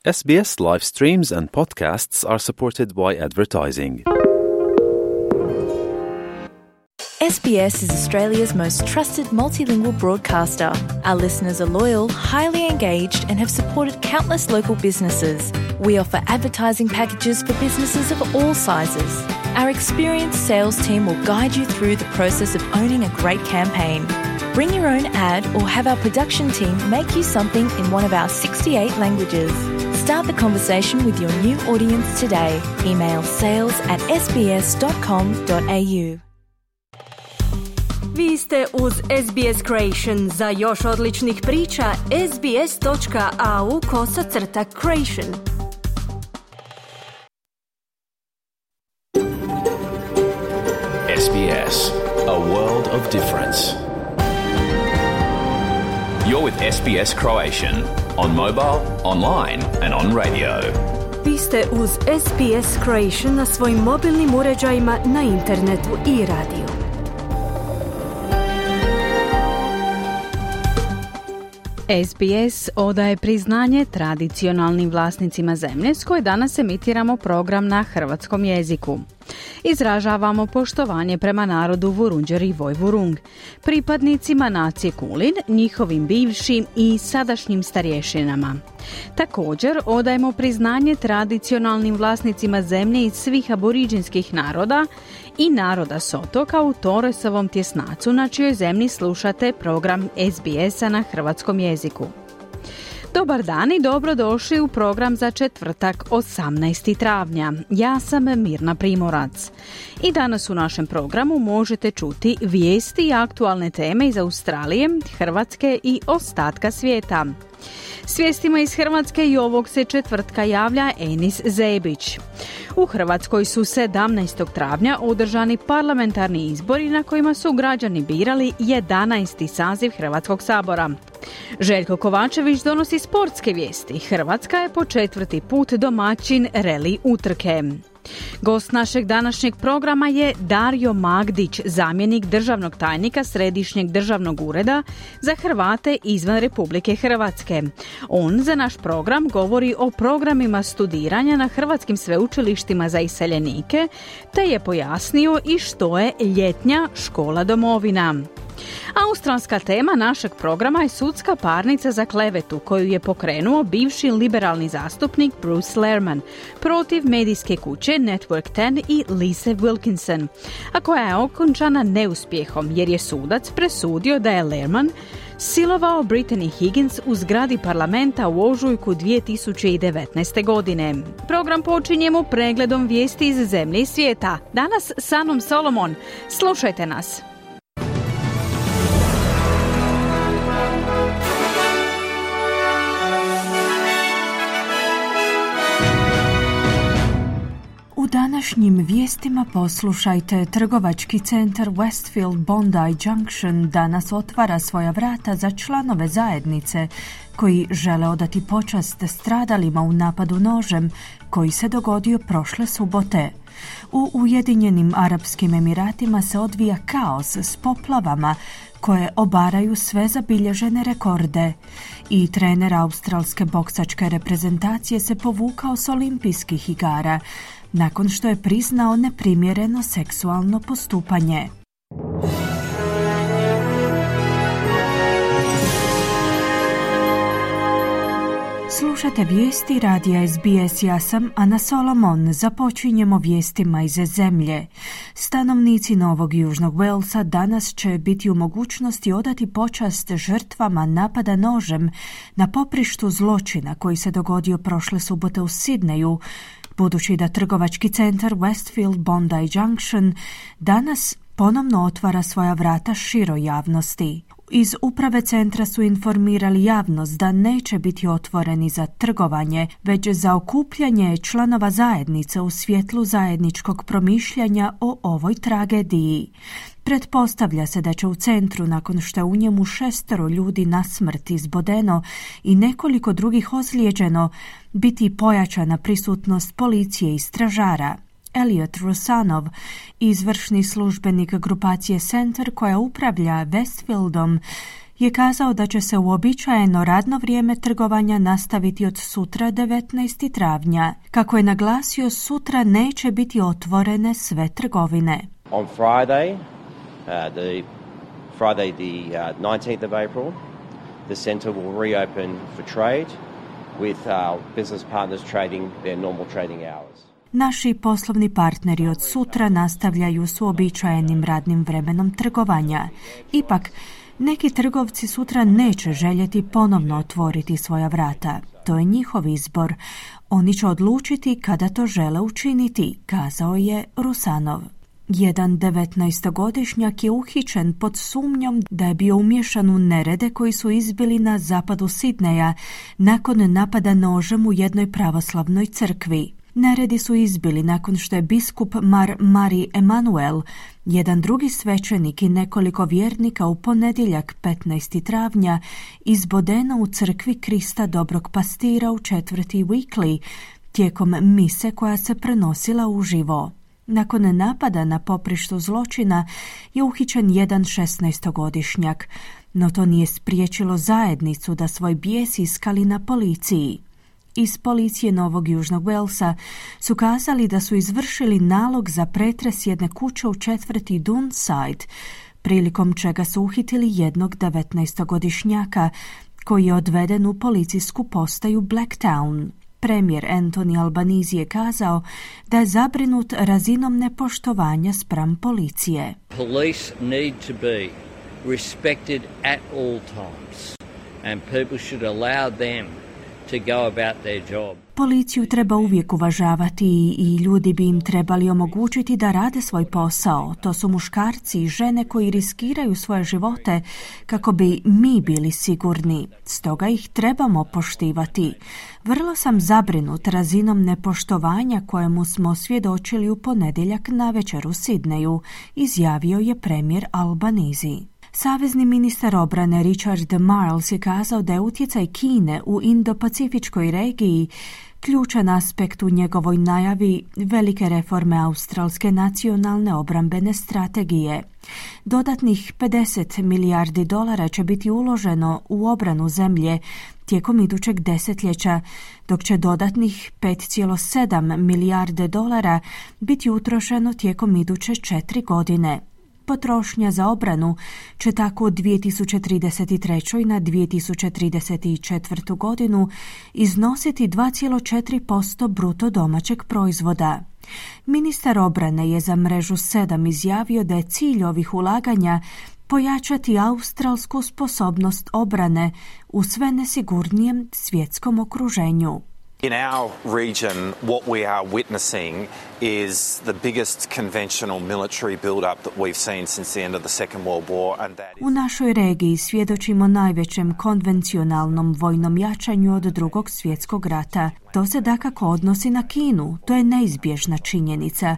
SBS live streams and podcasts are supported by advertising. SBS is Australia's most trusted multilingual broadcaster. Our listeners are loyal, highly engaged, and have supported countless local businesses. We offer advertising packages for businesses of all sizes. Our experienced sales team will guide you through the process of owning a great campaign. Bring your own ad or have our production team make you something in one of our 68 languages. Start the conversation with your new audience today. Email sales@sbs.com.au. Vi ste uz SBS Creation. Za još odličnih priča, sbs.au/creation. SBS, a world of difference. You're with SBS Croatian on mobile, online and on radio. Vi ste uz SBS Creation na svojim mobilnim uređajima, na internetu i radiju. SBS odaje priznanje tradicionalnim vlasnicima zemlje s koje danas emitiramo program na hrvatskom jeziku. Izražavamo poštovanje prema narodu Vurundjer i Vojvurung, pripadnicima nacije Kulin, njihovim bivšim i sadašnjim starješinama. Također odajemo priznanje tradicionalnim vlasnicima zemlje iz svih aboriđinskih naroda i naroda s otoka u Torresovom tjesnacu, na čijoj zemlji slušate program SBS-a na hrvatskom jeziku. Dobar dan i dobrodošli u program za četvrtak 18. travnja. Ja sam Mirna Primorac. I danas u našem programu možete čuti vijesti i aktualne teme iz Australije, Hrvatske i ostatka svijeta. S vijestima iz Hrvatske i ovog se četvrtka javlja Enis Zebić. U Hrvatskoj su 17. travnja održani parlamentarni izbori na kojima su građani birali 11. saziv Hrvatskog sabora. Željko Kovačević donosi sportske vijesti. Hrvatska je po 4. put domaćin reli utrke. Gost našeg današnjeg programa je Dario Magdić, zamjenik državnog tajnika Središnjeg državnog ureda za Hrvate izvan Republike Hrvatske. On za naš program govori o programima studiranja na hrvatskim sveučilištima za iseljenike, te je pojasnio i što je ljetnja škola domovina. Australska tema našeg programa je sudska parnica za klevetu koju je pokrenuo bivši liberalni zastupnik Bruce Lehrmann protiv medijske kuće Network 10 i Lise Wilkinson, a koja je okončana neuspjehom jer je sudac presudio da je Lehrmann silovao Brittany Higgins u zgradi parlamenta u ožujku 2019. godine. Program počinjemo pregledom vijesti iz zemlje i svijeta. Danas s Anom Solomon. Slušajte nas. U današnjim vijestima poslušajte, trgovački centar Westfield Bondi Junction danas otvara svoja vrata za članove zajednice koji žele odati počast stradalima u napadu nožem koji se dogodio prošle subote. U Ujedinjenim Arapskim Emiratima se odvija kaos s poplavama koje obaraju sve zabilježene rekorde. I trener australske boksačke reprezentacije se povukao s olimpijskih igara nakon što je priznao neprimjereno seksualno postupanje. Slušate vijesti radija SBS, ja sam Ana Solomon. Započinjemo vijestima iz zemlje. Stanovnici Novog Južnog Walesa danas će biti u mogućnosti odati počast žrtvama napada nožem na poprištu zločina koji se dogodio prošle subote u Sidneju, budući da trgovački centar Westfield Bondi Junction danas ponovno otvara svoja vrata široj javnosti. Iz uprave centra su informirali javnost da neće biti otvoreni za trgovanje, već za okupljanje članova zajednice u svjetlu zajedničkog promišljanja o ovoj tragediji. Pretpostavlja se da će u centru, nakon što je u njemu 6 ljudi na smrt izbodeno i nekoliko drugih ozlijeđeno, biti pojačana prisutnost policije i stražara. Elliot Rusanov, izvršni službenik grupacije Center koja upravlja Westfieldom, je kazao da će se uobičajeno radno vrijeme trgovanja nastaviti od sutra 19. travnja. Kako je naglasio, sutra neće biti otvorene sve trgovine. On Friday, the 19th of April, the centre will reopen for trade with our business partners trading their normal trading hours. Naši poslovni partneri od sutra nastavljaju s uobičajenim radnim vremenom trgovanja. Ipak, neki trgovci sutra neće željeti ponovno otvoriti svoja vrata. To je njihov izbor. Oni će odlučiti kada to žele učiniti, kazao je Rusanov. Jedan 19-godišnjak je uhićen pod sumnjom da je bio umiješan u nerede koji su izbili na zapadu Sidneja nakon napada nožem u jednoj pravoslavnoj crkvi. Neredi su izbili nakon što je biskup Mari Emanuel, jedan drugi svećenik i nekoliko vjernika u ponedjeljak 15. travnja izbodeno u crkvi Krista Dobrog Pastira u četvrti Weekly tijekom mise koja se prenosila uživo. Nakon napada na poprištu zločina je uhićen jedan 16-godišnjak, no to nije spriječilo zajednicu da svoj bijes iskali na policiji. Iz policije Novog Južnog Walesa su kazali da su izvršili nalog za pretres jedne kuće u četvrti Dunside, prilikom čega su uhitili jednog 19-godišnjaka koji je odveden u policijsku postaju Blacktown. Premijer Anthony Albanese je kazao da je zabrinut razinom nepoštovanja spram policije. Police need to be respected at all times and people should allow them to go about their job. Policiju treba uvijek uvažavati i ljudi bi im trebali omogućiti da rade svoj posao. To su muškarci i žene koji riskiraju svoje živote kako bi mi bili sigurni. Stoga ih trebamo poštivati. Vrlo sam zabrinut razinom nepoštovanja kojemu smo svjedočili u ponedjeljak navečer u Sidneju, izjavio je premijer Albanese. Savezni ministar obrane Richard Marles je kazao da je utjecaj Kine u Indo-Pacifičkoj regiji ključan aspekt u njegovoj najavi velike reforme australske nacionalne obrambene strategije. Dodatnih $50 milijardi će biti uloženo u obranu zemlje tijekom idućeg desetljeća, dok će dodatnih $5,7 milijarde biti utrošeno tijekom iduće 4 godine. Potrošnja za obranu će tako od 2033. na 2034. godinu iznositi 2,4% bruto domaćeg proizvoda. Ministar obrane je za Mrežu 7 izjavio da je cilj ovih ulaganja pojačati australsku sposobnost obrane u sve nesigurnijem svjetskom okruženju. In our region, what we are witnessing is the biggest conventional military build-up that we've seen since the end of the Second World War. And that U našoj regiji svjedočimo najvećem konvencionalnom vojnom jačanju od Drugog svjetskog rata. To se dakako odnosi na Kinu, to je neizbježna činjenica.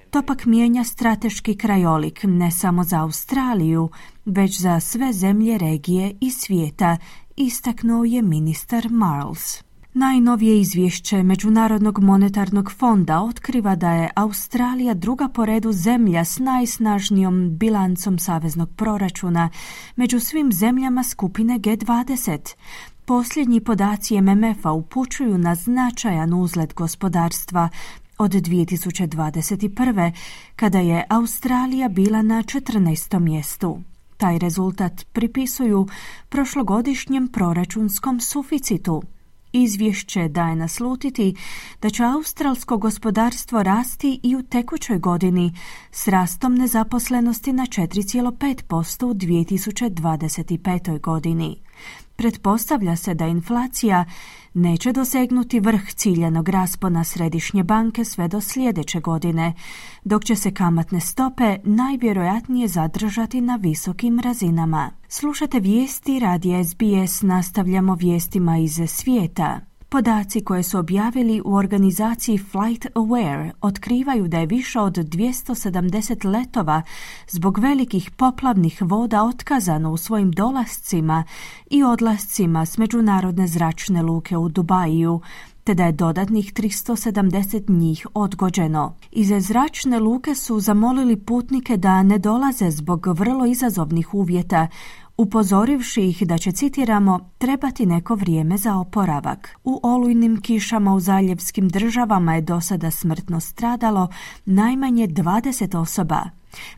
To pak mijenja strateški krajolik ne samo za Australiju, već za sve zemlje regije i svijeta, istaknuo je ministar Marles. Najnovije izvješće Međunarodnog monetarnog fonda otkriva da je Australija druga po redu zemlja s najsnažnijom bilancom saveznog proračuna među svim zemljama skupine G20. Posljednji podaci MMF-a upućuju na značajan uzlet gospodarstva od 2021. kada je Australija bila na 14. mjestu. Taj rezultat pripisuju prošlogodišnjem proračunskom suficitu. Izvješće daje naslutiti da će australsko gospodarstvo rasti i u tekućoj godini s rastom nezaposlenosti na 4,5% u 2025. godini. Pretpostavlja se da inflacija neće dosegnuti vrh ciljanog raspona Središnje banke sve do sljedeće godine, dok će se kamatne stope najvjerojatnije zadržati na visokim razinama. Slušate vijesti radija SBS, nastavljamo vijestima iz svijeta. Podaci koje su objavili u organizaciji Flight Aware otkrivaju da je više od 270 letova zbog velikih poplavnih voda otkazano u svojim dolascima i odlascima s međunarodne zračne luke u Dubaju, te da je dodatnih 370 njih odgođeno. Iz zračne luke su zamolili putnike da ne dolaze zbog vrlo izazovnih uvjeta upozorivši ih da će, citiramo, trebati neko vrijeme za oporavak. U olujnim kišama u zaljevskim državama je do sada smrtno stradalo najmanje 20 osoba.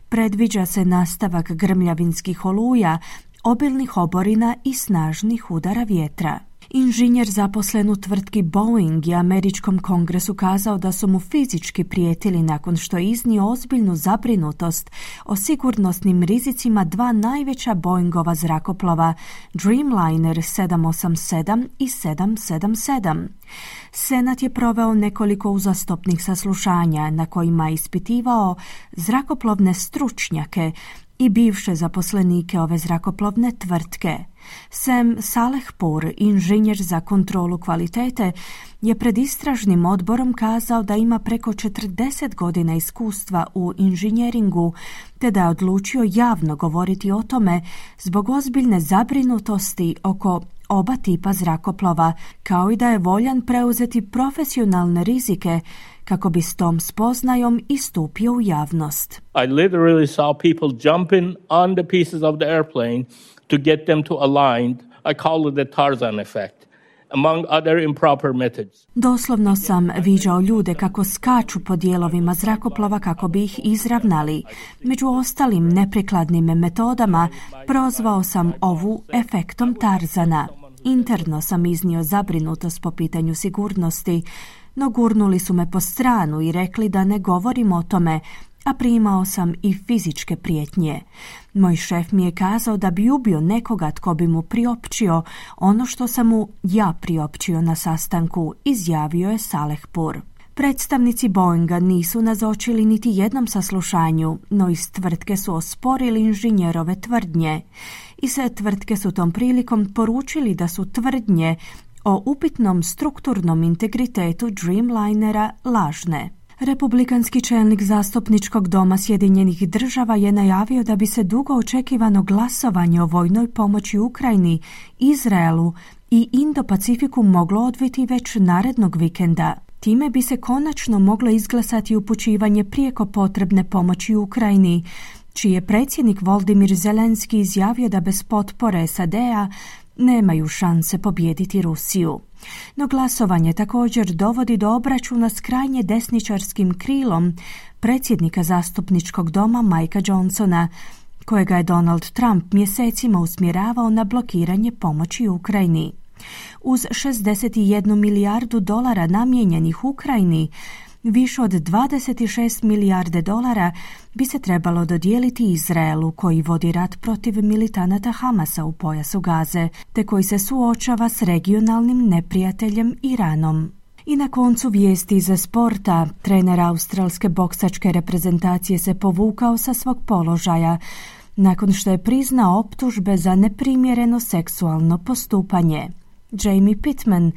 Predviđa se nastavak grmljavinskih oluja, obilnih oborina i snažnih udara vjetra. Inženjer zaposlen u tvrtki Boeing je američkom kongresu kazao da su mu fizički prijetili nakon što je iznio ozbiljnu zabrinutost o sigurnosnim rizicima dva najveća Boeingova zrakoplova, Dreamliner 787 i 777. Senat je proveo nekoliko uzastopnih saslušanja na kojima je ispitivao zrakoplovne stručnjake i bivše zaposlenike ove zrakoplovne tvrtke. Sam Salehpour, inženjer za kontrolu kvalitete, je pred istražnim odborom kazao da ima preko 40 godina iskustva u inženjeringu, te da je odlučio javno govoriti o tome zbog ozbiljne zabrinutosti oko oba tipa zrakoplova, kao i da je voljan preuzeti profesionalne rizike kako bi s tom spoznajom istupio u javnost. I literally saw people jumping on the pieces of the airplane to get them to align. I call it the Tarzan effect, among other improper methods. Doslovno sam viđao ljude kako skaču po dijelovima zrakoplova kako bi ih izravnali. Među ostalim neprikladnim metodama prozvao sam ovu efektom Tarzana. Interno sam iznio zabrinutost po pitanju sigurnosti, no gurnuli su me po stranu i rekli da ne govorim o tome, a primao sam i fizičke prijetnje. Moj šef mi je kazao da bi ubio nekoga tko bi mu priopćio ono što sam mu ja priopćio na sastanku, izjavio je Salehpour. Predstavnici Boeinga nisu nazočili niti jednom saslušanju, no iz tvrtke su osporili inženjerove tvrdnje. I sve tvrtke su tom prilikom poručili da su tvrdnje o upitnom strukturnom integritetu Dreamlinera lažne. Republikanski čelnik zastupničkog doma Sjedinjenih država je najavio da bi se dugo očekivano glasovanje o vojnoj pomoći Ukrajini, Izraelu i Indo-Pacifiku moglo odviti već narednog vikenda. Time bi se konačno moglo izglasati upućivanje prijeko potrebne pomoći Ukrajini, čiji je predsjednik Volodymyr Zelenski izjavio da bez potpore SAD-a nemaju šanse pobijediti Rusiju. No glasovanje također dovodi do obračuna s krajnje desničarskim krilom predsjednika zastupničkog doma Mikea Johnsona, kojega je Donald Trump mjesecima usmjeravao na blokiranje pomoći Ukrajini. Uz 61 milijardu dolara namijenjenih Ukrajini, više od 26 milijarde dolara bi se trebalo dodijeliti Izraelu, koji vodi rat protiv militanata Hamasa u pojasu Gaze, te koji se suočava s regionalnim neprijateljem Iranom. I na koncu vijesti za sporta, trener australske boksačke reprezentacije se povukao sa svog položaja nakon što je priznao optužbe za neprimjereno seksualno postupanje. Jamie Pittman,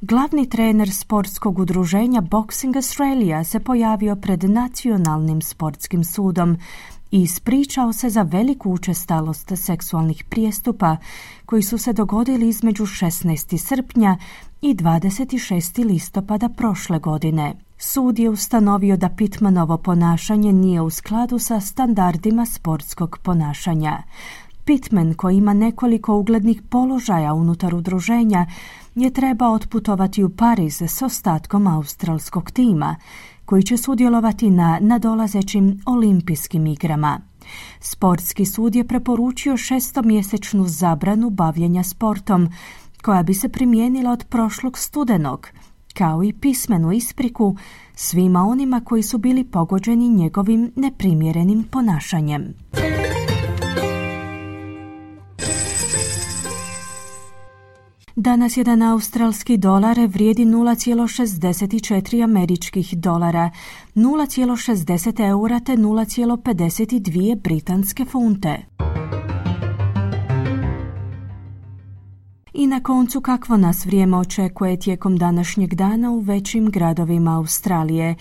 glavni trener sportskog udruženja Boxing Australia, se pojavio pred Nacionalnim sportskim sudom i ispričao se za veliku učestalost seksualnih prijestupa koji su se dogodili između 16. srpnja i 26. listopada prošle godine. Sud je ustanovio da Pittmanovo ponašanje nije u skladu sa standardima sportskog ponašanja. Pittman, koji ima nekoliko uglednih položaja unutar udruženja, je trebao otputovati u Pariz s ostatkom australskog tima, koji će sudjelovati na nadolazećim olimpijskim igrama. Sportski sud je preporučio 6-mjesečnu zabranu bavljenja sportom, koja bi se primijenila od prošlog studenog, kao i pismenu ispriku svima onima koji su bili pogođeni njegovim neprimjerenim ponašanjem. Danas jedan australski dolar vrijedi 0,64 američkih dolara, 0,60 eura te 0,52 britanske funte. I na koncu, kakvo nas vrijeme očekuje tijekom današnjeg dana u većim gradovima Australije.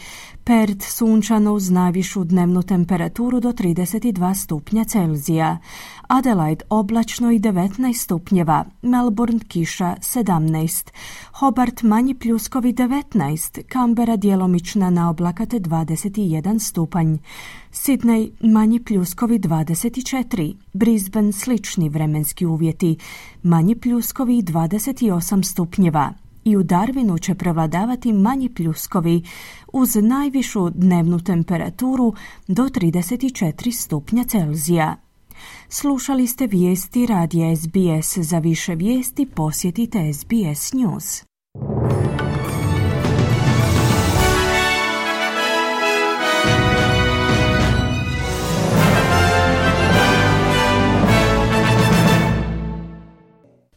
Perth sunčano uz najvišu dnevnu temperaturu do 32 stupnja Celzija. Adelaide oblačno i 19 stupnjeva. Melbourne kiša 17. Hobart manji pljuskovi 19. Canberra djelomična naoblakate 21 stupanj. Sydney manji pljuskovi 24. Brisbane slični vremenski uvjeti. Manji pljuskovi 28 stupnjeva. I u Darwinu će prevladavati manji pljuskovi uz najvišu dnevnu temperaturu do 34 stupnja Celzija. Slušali ste vijesti radija SBS. Za više vijesti posjetite SBS News.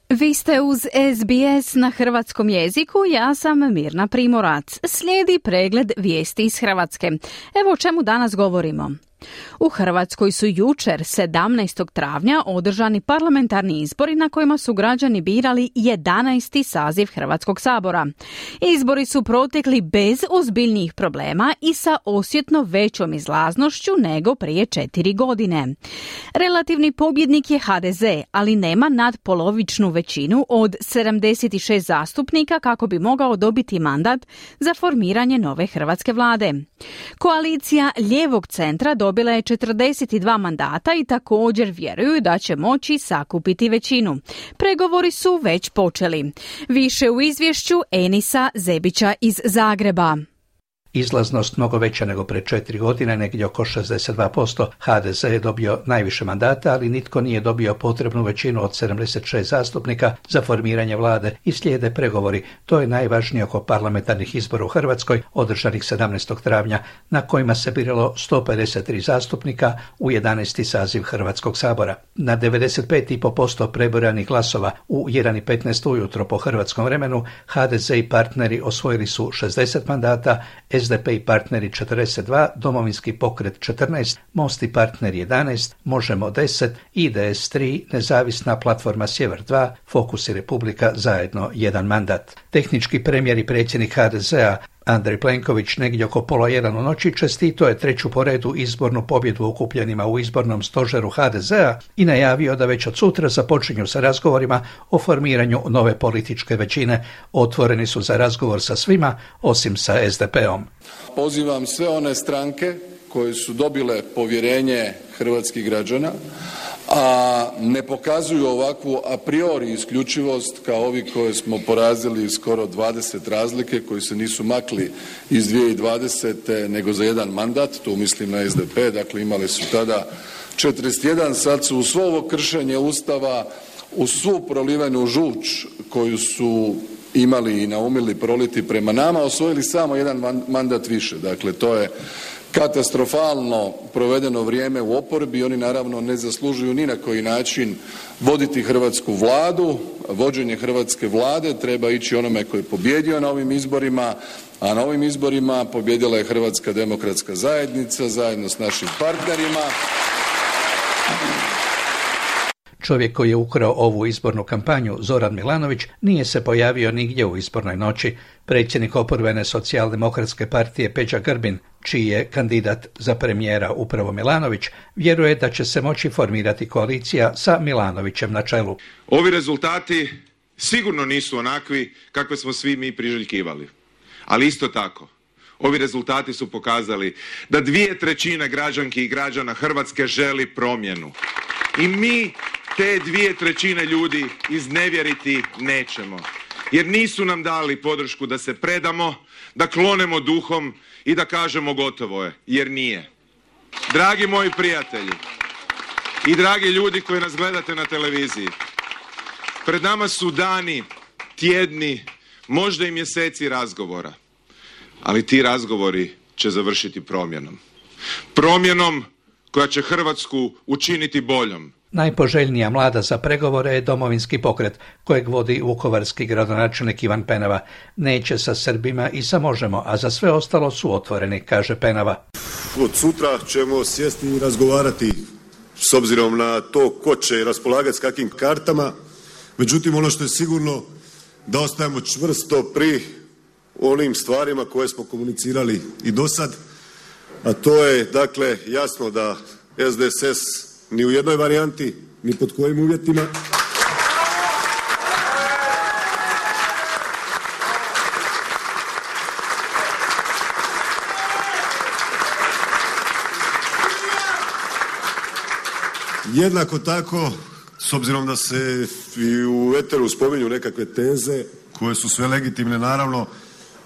Vi ste uz SBS na hrvatskom jeziku, ja sam Mirna Primorac. Slijedi pregled vijesti iz Hrvatske. Evo o čemu danas govorimo. U Hrvatskoj su jučer, 17. travnja, održani parlamentarni izbori na kojima su građani birali 11. saziv Hrvatskog sabora. Izbori su protekli bez ozbiljnijih problema i sa osjetno većom izlaznošću nego prije 4 godine. Relativni pobjednik je HDZ, ali nema nadpolovičnu većinu od 76 zastupnika kako bi mogao dobiti mandat za formiranje nove hrvatske vlade. Koalicija lijevog centra dobila je 42 mandata i također vjeruju da će moći sakupiti većinu. Pregovori su već počeli. Više u izvješću Enisa Zebića iz Zagreba. Izlaznost mnogo veća nego pred 4 godine, negdje oko 62%. HDZ je dobio najviše mandata, ali nitko nije dobio potrebnu većinu od 76 zastupnika za formiranje vlade i slijede pregovori. To je najvažnije oko parlamentarnih izbora u Hrvatskoj, održanih 17. travnja, na kojima se biralo 153 zastupnika u 11. saziv Hrvatskog sabora. Na 95,5% prebrojanih glasova u 1:15 ujutro po hrvatskom vremenu, HDZ i partneri osvojili su 60 mandata, SDP i partneri 42, Domovinski pokret 14, Most i partneri 11, Možemo 10, IDS 3, Nezavisna platforma Sjever 2, Fokus i Republika zajedno 1 mandat. Tehnički premijer i predsjednik HDZ-a Andrej Plenković negdje oko 1:30 u noći čestitao je 3. po redu izbornu pobjedu okupljenima u izbornom stožeru HDZ-a i najavio da već od sutra započinju sa razgovorima o formiranju nove političke većine. Otvoreni su za razgovor sa svima, osim sa SDP-om. Pozivam sve one stranke koje su dobile povjerenje hrvatskih građana, a ne pokazuju ovakvu a priori isključivost kao ovi koje smo porazili skoro 20 razlike, koji se nisu makli iz 2020. nego za 1 mandat, tu mislim na SDP, dakle imali su tada 41, sad su u svo ovo kršenje Ustava, u svu prolivenu žuč koju su imali i naumili proliti prema nama, osvojili samo 1 mandat više. Dakle, to je katastrofalno provedeno vrijeme u oporbi. Oni naravno ne zaslužuju ni na koji način voditi hrvatsku vladu. Vođenje hrvatske vlade treba ići onome koji je pobijedio na ovim izborima, a na ovim izborima pobijedila je Hrvatska demokratska zajednica zajedno s našim partnerima. Čovjek koji je ukrao ovu izbornu kampanju, Zoran Milanović, nije se pojavio nigdje u izbornoj noći. Predsjednik oporbene socijaldemokratske partije Peđa Grbin, čiji je kandidat za premijera upravo Milanović, vjeruje da će se moći formirati koalicija sa Milanovićem na čelu. Ovi rezultati sigurno nisu onakvi kakve smo svi mi priželjkivali. Ali isto tako, ovi rezultati su pokazali da 2/3 građanki i građana Hrvatske želi promjenu. I mi te 2/3 ljudi iznevjeriti nećemo. Jer nisu nam dali podršku da se predamo, da klonemo duhom i da kažemo gotovo je, jer nije. Dragi moji prijatelji i dragi ljudi koji nas gledate na televiziji, pred nama su dani, tjedni, možda i mjeseci razgovora, ali ti razgovori će završiti promjenom. Promjenom koja će Hrvatsku učiniti boljom. Najpoželjnija mlada za pregovore je Domovinski pokret, kojeg vodi vukovarski gradonačelnik Ivan Penava. Neće sa Srbima i sa Možemo, a za sve ostalo su otvoreni, kaže Penava. Od sutra ćemo sjesti i razgovarati s obzirom na to ko će raspolagati s kakvim kartama. Međutim, ono što je sigurno da ostajemo čvrsto pri onim stvarima koje smo komunicirali i do sad, a to je dakle jasno da SDSS ni u jednoj varijanti, ni pod kojim uvjetima jednako tako, s obzirom da se i u eteru spominju nekakve teze koje su sve legitimne naravno,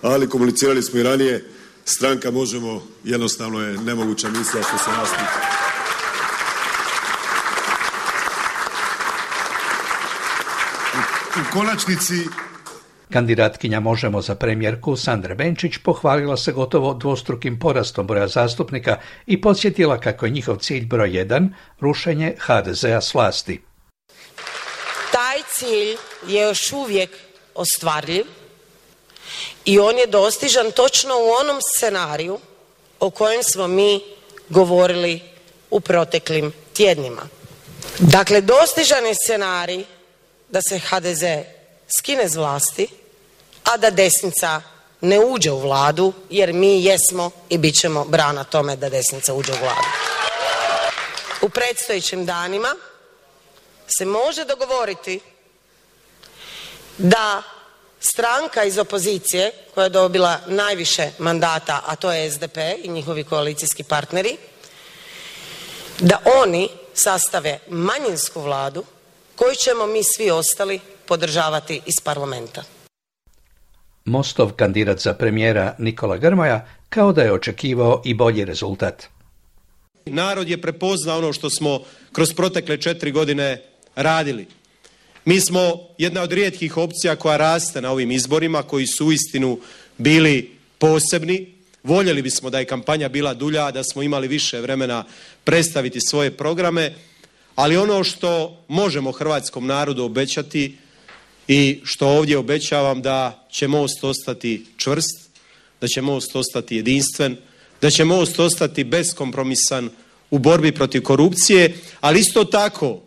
ali komunicirali smo i ranije, stranka Možemo jednostavno je nemoguća misija što se nas tiče. U konačnici Kandidatkinja Možemo za premijerku Sandra Benčić pohvalila se gotovo dvostrukim porastom broja zastupnika i podsjetila kako je njihov cilj broj 1 rušenje HDZ-a s vlasti. Taj cilj je još uvijek ostvarljiv i on je dostižan točno u onom scenariju o kojem smo mi govorili u proteklim tjednima. Dakle, dostižan je scenarij da se HDZ skine s vlasti, a da desnica ne uđe u vladu, jer mi jesmo i bit ćemo brana tome da desnica uđe u vladu. U predstojećim danima se može dogovoriti da stranka iz opozicije koja je dobila najviše mandata, a to je SDP i njihovi koalicijski partneri, da oni sastave manjinsku vladu koju ćemo mi svi ostali podržavati iz parlamenta. Mostov kandidat za premijera Nikola Grmoja kao da je očekivao i bolji rezultat. Narod je prepoznao ono što smo kroz protekle 4 godine radili. Mi smo jedna od rijetkih opcija koja raste na ovim izborima, koji su uistinu bili posebni. Voljeli bismo da je kampanja bila dulja, da smo imali više vremena predstaviti svoje programe, ali ono što možemo hrvatskom narodu obećati i što ovdje obećavam, da će Most ostati čvrst, da će Most ostati jedinstven, da će Most ostati beskompromisan u borbi protiv korupcije, ali isto tako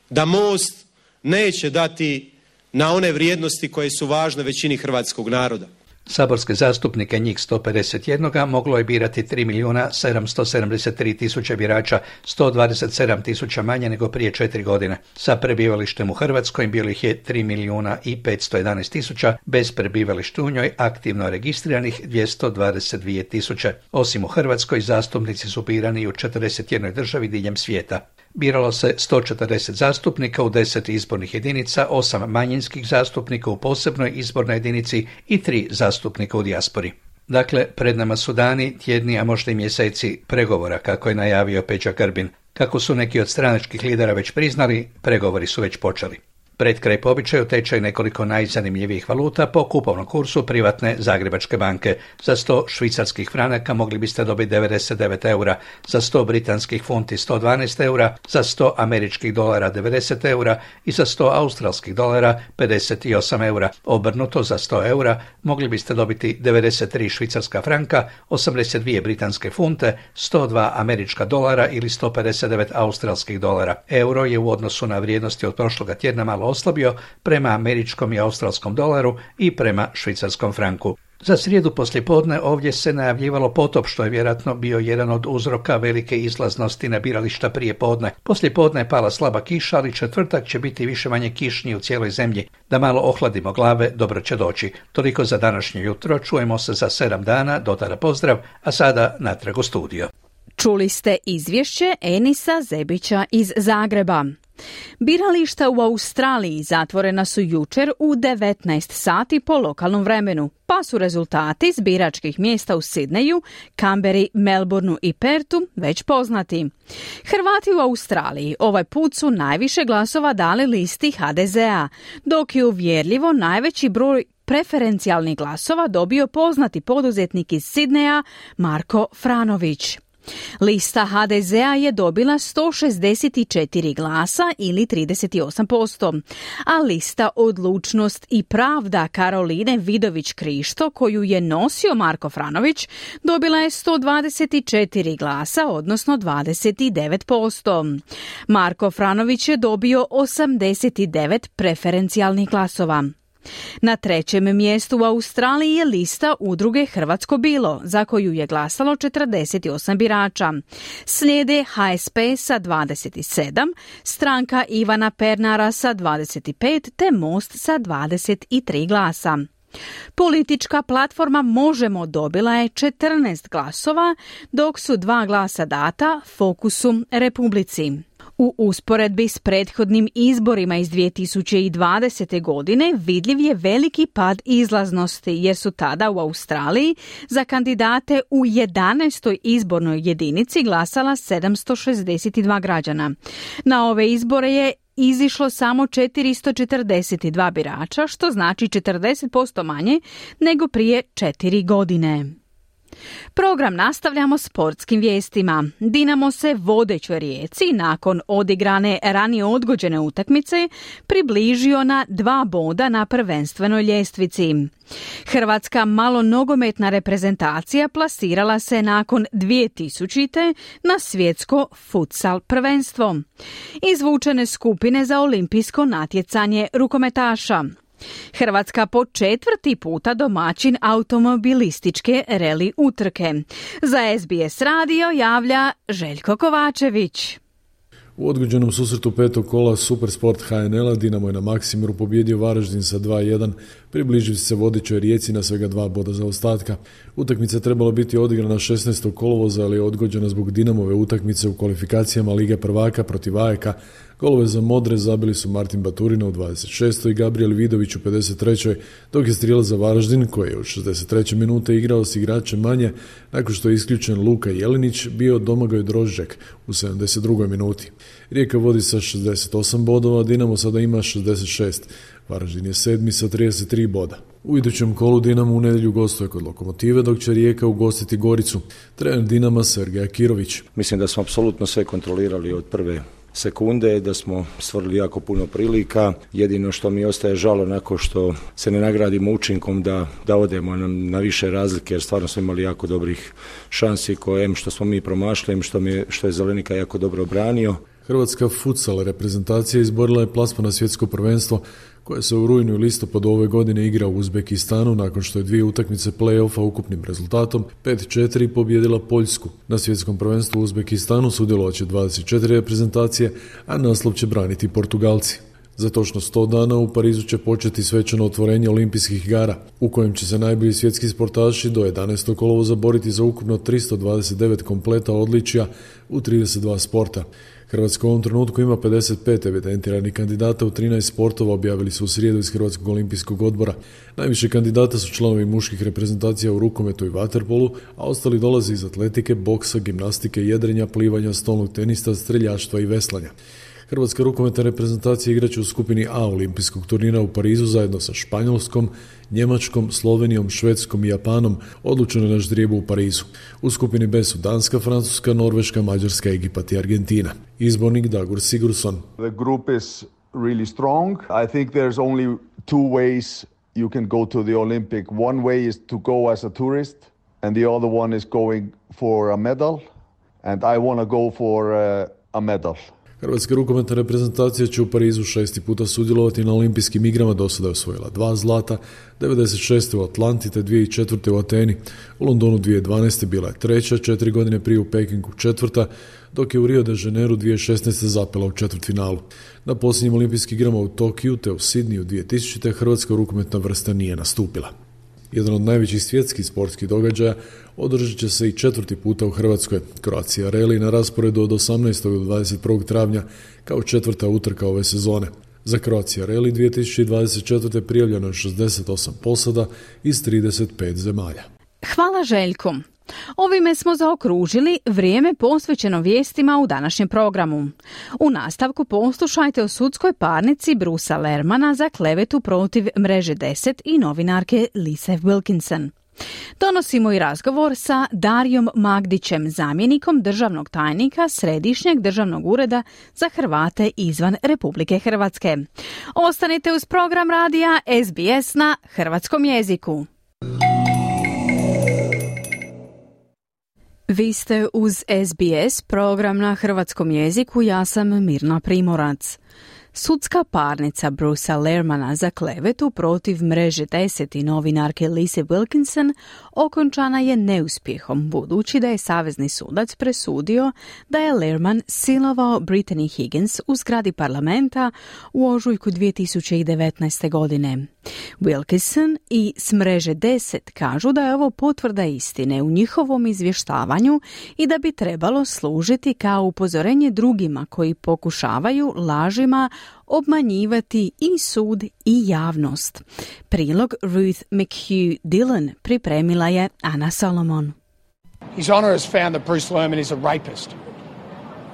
da Most neće dati na one vrijednosti koje su važne većini hrvatskog naroda. Saborske zastupnike, njih 151, moglo je birati 3.773.000 birača, 127.000 manje nego prije 4 godine. Sa prebivalištem u Hrvatskoj bilo ih je 3.511.000, bez prebivališta u njoj aktivno registriranih 222.000. Osim u Hrvatskoj, zastupnici su birani u 41 državi diljem svijeta. Biralo se 140 zastupnika u 10 izbornih jedinica, 8 manjinskih zastupnika u posebnoj izbornoj jedinici i 3 zastupnika u dijaspori. Dakle, pred nama su dani, tjedni, a možda i mjeseci pregovora, kako je najavio Peđa Grbin. Kako su neki od stranačkih lidera već priznali, pregovori su već počeli. Pred kraj po običaju tečaj nekoliko najzanimljivijih valuta po kupovnom kursu privatne Zagrebačke banke. Za 100 švicarskih franaka mogli biste dobiti 99 eura, za 100 britanskih funti 112 eura, za 100 američkih dolara 90 eura i za 100 australskih dolara 58 eura. Obrnuto, za 100 eura mogli biste dobiti 93 švicarska franka, 82 britanske funte, 102 američka dolara ili 159 australskih dolara. Euro je u odnosu na vrijednosti od prošloga tjedna malo oslabio prema američkom i australskom dolaru i prema švicarskom franku. Za srijedu poslijepodne ovdje se najavljivalo potop, što je vjerojatno bio jedan od uzroka velike izlaznosti na birališta prije podne. Poslijepodne je pala slaba kiša, ali četvrtak će biti više manje kišniji u cijeloj zemlji. Da malo ohladimo glave, dobro će doći. Toliko za današnje jutro, čujemo se za 7 dana, do tada pozdrav, a sada natrag u studio. Čuli ste izvješće Enisa Zebića iz Zagreba. Birališta u Australiji zatvorena su jučer u 19 sati po lokalnom vremenu, pa su rezultati s biračkih mjesta u Sidneju, Canberri, Melbourneu i Perthu već poznati. Hrvati u Australiji ovaj put su najviše glasova dali listi HDZ-a, dok je uvjerljivo najveći broj preferencijalnih glasova dobio poznati poduzetnik iz Sidneja Marko Franović. Lista HDZ-a je dobila 164 glasa ili 38%, a lista Odlučnost i pravda Karoline Vidović-Krišto, koju je nosio Marko Franović, dobila je 124 glasa, odnosno 29%. Marko Franović je dobio 89 preferencijalnih glasova. Na 3. mjestu u Australiji je lista udruge Hrvatsko bilo, za koju je glasalo 48 birača. Slijede HSP sa 27, stranka Ivana Pernara sa 25 te Most sa 23 glasa. Politička platforma Možemo dobila je 14 glasova, dok su 2 glasa data Fokusu Republici. U usporedbi s prethodnim izborima iz 2020. godine vidljiv je veliki pad izlaznosti, jer su tada u Australiji za kandidate u 11. izbornoj jedinici glasala 762 građana. Na ove izbore je izišlo samo 442 birača, što znači 40% manje nego prije 4 godine. Program nastavljamo sportskim vijestima. Dinamo se vodećoj Rijeci nakon odigrane ranije odgođene utakmice približio na 2 boda na prvenstvenoj ljestvici. Hrvatska malonogometna reprezentacija plasirala se nakon 2000. na svjetsko futsal prvenstvo. Izvučene skupine za olimpijsko natjecanje rukometaša. Hrvatska po 4. puta domaćin automobilističke reli utrke. Za SBS radio javlja Željko Kovačević. U odgođenom susretu 5. kola Supersport HNL-a Dinamo je na Maksimiru pobjedio Varaždin sa 2:1, približivši se vodećoj Rijeci na svega 2 boda zaostatka. Utakmica trebala biti odigrana 16. kolovoza, ali je odgođena zbog Dinamove utakmice u kvalifikacijama Lige prvaka protiv AEK-a. Golove za Modre zabili su Martin Baturina u 26. i Gabriel Vidović u 53. dok je strijelac za Varaždin, koji je u 63. minute igrao s igračem manje, nakon što je isključen Luka Jelinić, bio Domagoj Drožđak u 72. minuti. Rijeka vodi sa 68 bodova, Dinamo sada ima 66. Varaždin je 7. sa 33 boda. U idućem kolu Dinamo u nedjelju gostuje kod Lokomotive, dok će Rijeka ugostiti Goricu. Trener Dinama Sergej Akirović. Mislim da smo apsolutno sve kontrolirali od prve sekunde, da smo stvorili jako puno prilika. Jedino što mi ostaje žalo nakon što se ne nagradimo učinkom da odemo na više razlike, jer stvarno smo imali jako dobrih šansi koje što smo mi promašili, što je Zelenika jako dobro obranio. Hrvatska futsal reprezentacija izborila je plasman na svjetsko prvenstvo koje se u rujnu i listopadu ove godine igra u Uzbekistanu nakon što je 2 utakmice play-offa ukupnim rezultatom 5-4 pobjedila Poljsku. Na svjetskom prvenstvu u Uzbekistanu sudjelovat će 24 reprezentacije, a naslov će braniti Portugalci. Za točno 100 dana u Parizu će početi svečano otvorenje olimpijskih igara, u kojem će se najbolji svjetski sportaši do 11. kolovoza boriti za ukupno 329 kompleta odličja u 32 sporta. Hrvatska u ovom trenutku ima 55 evidentiranih kandidata u 13 sportova, objavili su u srijedu iz Hrvatskog olimpijskog odbora. Najviše kandidata su članovi muških reprezentacija u rukometu i vaterpolu, a ostali dolaze iz atletike, boksa, gimnastike, jedrenja, plivanja, stolnog tenista, streljaštva i veslanja. Hrvatska rukometna reprezentacija igraće u skupini A olimpijskog turnira u Parizu zajedno sa Španjolskom, Njemačkom, Slovenijom, Švedskom i Japanom, odlučeno na ždrijebu u Parizu. U skupini B su Danska, Francuska, Norveška, Mađarska, Egipat i Argentina. Izbornik Dagur Sigurdsson. The group is really strong. I think there's only 2 ways you can go to the Olympic. One way is to go as a tourist and the other one is going for a medal, and I want to go for a medal. Hrvatska rukometna reprezentacija će u Parizu 6. puta sudjelovati na olimpijskim igrama, do sada je osvojila 2 zlata, 96. u Atlanti te 2004. u Ateni. U Londonu 2012. bila je 3., 4 godine prije u Pekingu 4., dok je u Rio de Janeiru 2016. zapela u četvrtfinalu. Na posljednjim olimpijskim igrama u Tokiju te u Sidniju 2000. hrvatska rukometna vrsta nije nastupila. Jedan od najvećih svjetskih sportskih događaja održat će se i 4. puta u Hrvatskoj. Croatia Rally na rasporedu od 18. do 21. travnja kao 4. utrka ove sezone. Za Croatia Rally 2024. prijavljeno je 68 posada iz 35 zemalja. Hvala Željku. Ovime smo zaokružili vrijeme posvećeno vijestima u današnjem programu. U nastavku poslušajte o sudskoj parnici Brusa Lermana za klevetu protiv Mreže 10 i novinarke Lise Wilkinson. Donosimo i razgovor sa Darijom Magdićem, zamjenikom državnog tajnika Središnjeg državnog ureda za Hrvate izvan Republike Hrvatske. Ostanite uz program radija SBS na hrvatskom jeziku. Vi ste uz SBS, program na hrvatskom jeziku, ja sam Mirna Primorac. Sudska parnica Brucea Lehrmana za klevetu protiv mreže 10 i novinarke Lise Wilkinson okončana je neuspjehom, budući da je savezni sudac presudio da je Lehrman silovao Brittany Higgins u zgradi parlamenta u ožujku 2019. godine. Wilkinson i s mreže 10 kažu da je ovo potvrda istine u njihovom izvještavanju i da bi trebalo služiti kao upozorenje drugima koji pokušavaju lažima obmanjivati i sud i javnost. Prilog Ruth McHugh Dillon pripremila je Ana Solomon. His Honour has found that Bruce Lehrman is a rapist.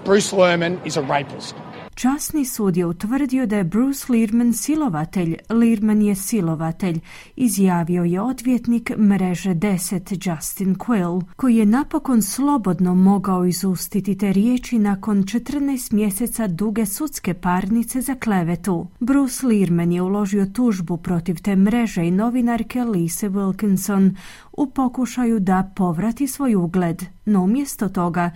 Bruce Lehrman is a rapist. Časni sud je utvrdio da je Bruce Lehrman silovatelj. Lehrman je silovatelj, izjavio je odvjetnik mreže 10 Justin Quill, koji je napokon slobodno mogao izustiti te riječi nakon 14 mjeseca duge sudske parnice za klevetu. Bruce Lehrman je uložio tužbu protiv te mreže i novinarke Lise Wilkinson u pokušaju da povrati svoj ugled, no umjesto toga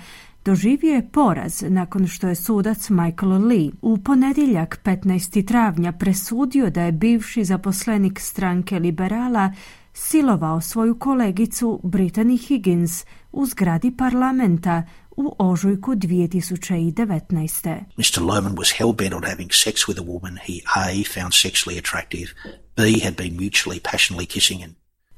doživio je poraz nakon što je sudac Michael Lee u ponedjeljak 15. travnja presudio da je bivši zaposlenik stranke liberala silovao svoju kolegicu Brittany Higgins u zgradi parlamenta u ožujku 2019. Mr. Lehrman was hell-bent on having sex with a woman he A. found sexually attractive, B. had been mutually passionately kissing and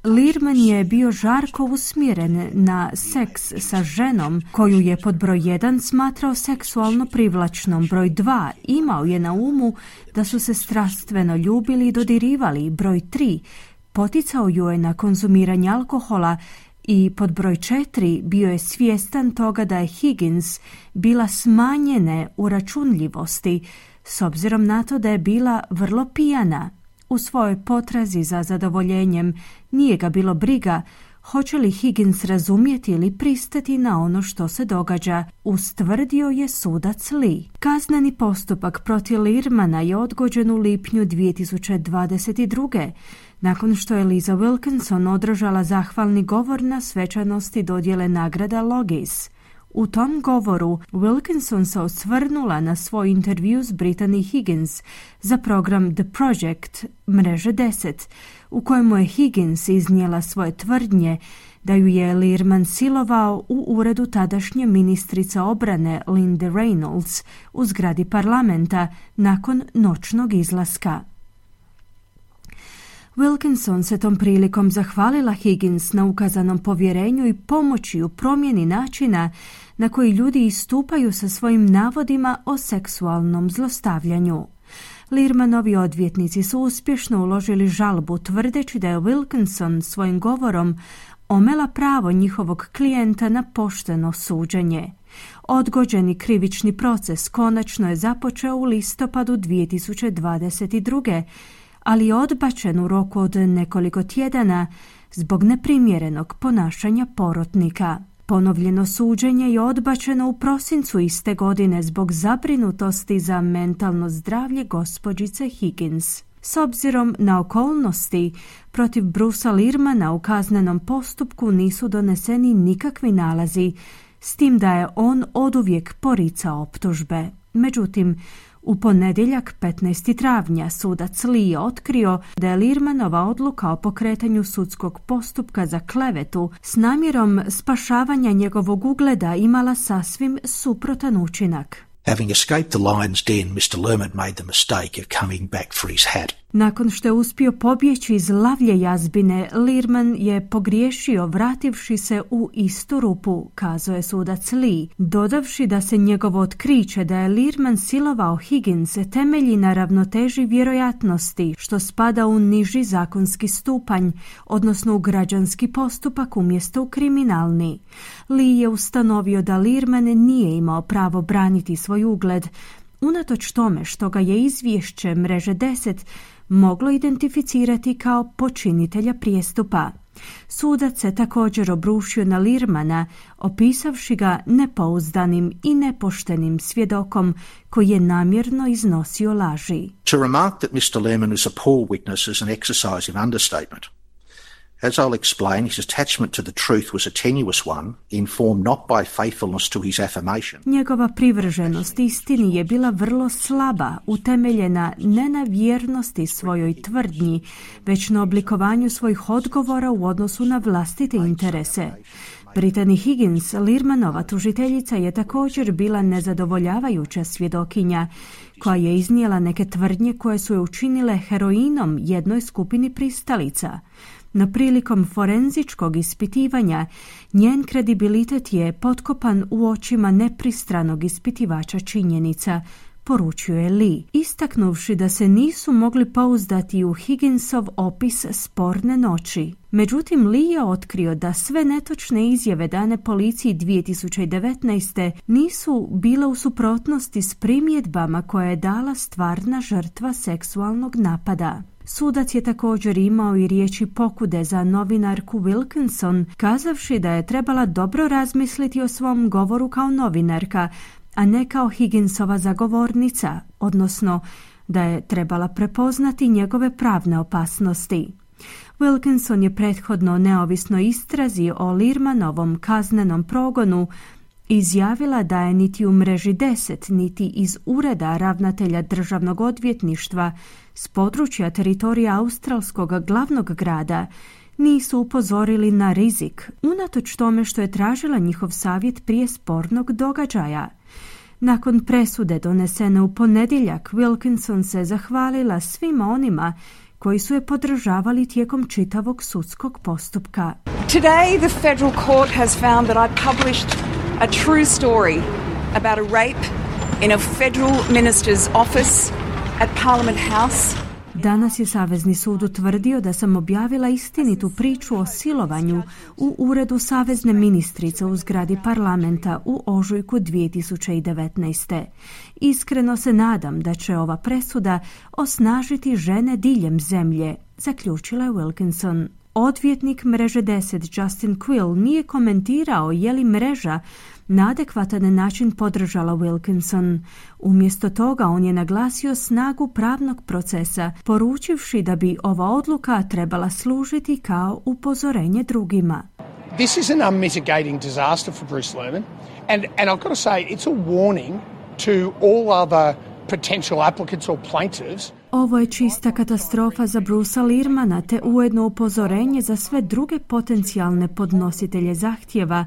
Lehrman je bio žarko usmjeren na seks sa ženom koju je pod broj 1 smatrao seksualno privlačnom. Broj 2 imao je na umu da su se strastveno ljubili i dodirivali. Broj 3 poticao ju je na konzumiranje alkohola i pod broj 4 bio je svjestan toga da je Higgins bila smanjene uračunljivosti s obzirom na to da je bila vrlo pijana. U svojoj potrazi za zadovoljenjem nije ga bilo briga hoće li Higgins razumjeti ili pristati na ono što se događa, ustvrdio je sudac Lee. Kazneni postupak protiv Lehrmana je odgođen u lipnju 2022. nakon što je Lisa Wilkinson održala zahvalni govor na svečanosti dodjele nagrada Logis. U tom govoru Wilkinson se osvrnula na svoj intervju s Brittany Higgins za program The Project mreže 10, u kojemu je Higgins iznijela svoje tvrdnje da ju je Lehrman silovao u uredu tadašnje ministrice obrane Linde Reynolds u zgradi parlamenta nakon noćnog izlaska. Wilkinson se tom prilikom zahvalila Higgins na ukazanom povjerenju i pomoći u promjeni načina na koji ljudi istupaju sa svojim navodima o seksualnom zlostavljanju. Lehrmanovi odvjetnici su uspješno uložili žalbu tvrdeći da je Wilkinson svojim govorom omela pravo njihovog klijenta na pošteno suđenje. Odgođeni krivični proces konačno je započeo u listopadu 2022. ali je odbačen u roku od nekoliko tjedana zbog neprimjerenog ponašanja porotnika. Ponovljeno suđenje je odbačeno u prosincu iste godine zbog zabrinutosti za mentalno zdravlje gospođice Higgins. S obzirom na okolnosti, protiv Brucea Lehrmana u kaznenom postupku nisu doneseni nikakvi nalazi, s tim da je on oduvijek poricao optužbe. Međutim, u ponedjeljak 15. travnja sudac Lee je otkrio da je Lehrmanova odluka o pokretanju sudskog postupka za klevetu s namjerom spašavanja njegovog ugleda imala sasvim suprotan učinak. Having escaped the lion's den, Mr. Lehrman made the mistake of coming back for his hat. Nakon što je uspio pobjeći iz lavlje jazbine, Lehrman je pogriješio vrativši se u istu rupu, kazao je sudac Lee, dodavši da se njegovo otkriće da je Lehrman silovao Higgins temelji na ravnoteži vjerojatnosti, što spada u niži zakonski stupanj, odnosno u građanski postupak umjesto u kriminalni. Lee je ustanovio da Lehrman nije imao pravo braniti svoj ugled, unatoč tome što ga je izvješće mreže 10 moglo identificirati kao počinitelja prijestupa. Sudac se također obrušio na Lehrmana, opisavši ga nepouzdanim i nepoštenim svjedokom koji je namjerno iznosio laži. To remark that Mr. Lehrman was a poor witness is an exercise in understatement. As I'll explain, his attachment to the truth was a tenuous one, informed not by faithfulness to his affirmation. Njegova privrženost istini je bila vrlo slaba, utemeljena ne na vjernosti svojoj tvrdnji, već na oblikovanju svojih odgovora u odnosu na vlastite interese. Brittany Higgins, Lirmanova tužiteljica, je također bila nezadovoljavajuća svjedokinja, koja je iznijela neke tvrdnje koje su je učinile heroinom jednoj skupini pristalica. No prilikom forenzičkog ispitivanja njen kredibilitet je potkopan u očima nepristranog ispitivača činjenica, poručuje Lee, istaknuvši da se nisu mogli pouzdati u Higginsov opis sporne noći. Međutim, Lee je otkrio da sve netočne izjave dane policiji 2019. nisu bile u suprotnosti s primjedbama koje je dala stvarna žrtva seksualnog napada. Sudac je također imao i riječi pokude za novinarku Wilkinson, kazavši da je trebala dobro razmisliti o svom govoru kao novinarka, a ne kao Higginsova zagovornica, odnosno da je trebala prepoznati njegove pravne opasnosti. Wilkinson je prethodno neovisno istrazi o Lirmanovom kaznenom progonu izjavila da je niti u mreži 10, niti iz ureda ravnatelja državnog odvjetništva s područja teritorija australskog glavnog grada nisu upozorili na rizik, unatoč tome što je tražila njihov savjet prije spornog događaja. Nakon presude donesene u ponedjeljak, Wilkinson se zahvalila svima onima koji su je podržavali tijekom čitavog sudskog postupka. Today the federal court has found that I published a true story about a rape in a federal minister's office at Parliament House. Danas je Savezni sud utvrdio da sam objavila istinitu priču o silovanju u uredu savezne ministrice u zgradi parlamenta u ožujku 2019. Iskreno se nadam da će ova presuda osnažiti žene diljem zemlje, zaključila je Wilkinson. Odvjetnik mreže 10 Justin Quill nije komentirao je li mreža na adekvatan način podržala Wilkinson. Umjesto toga on je naglasio snagu pravnog procesa, poručivši da bi ova odluka trebala služiti kao upozorenje drugima. This is an unmitigating disaster for Bruce Lerman, and I've got to say it's a warning to all other potential applicants or plaintiffs. Ovo je čista katastrofa za Brucea Lirmana, te ujedno upozorenje za sve druge potencijalne podnositelje zahtjeva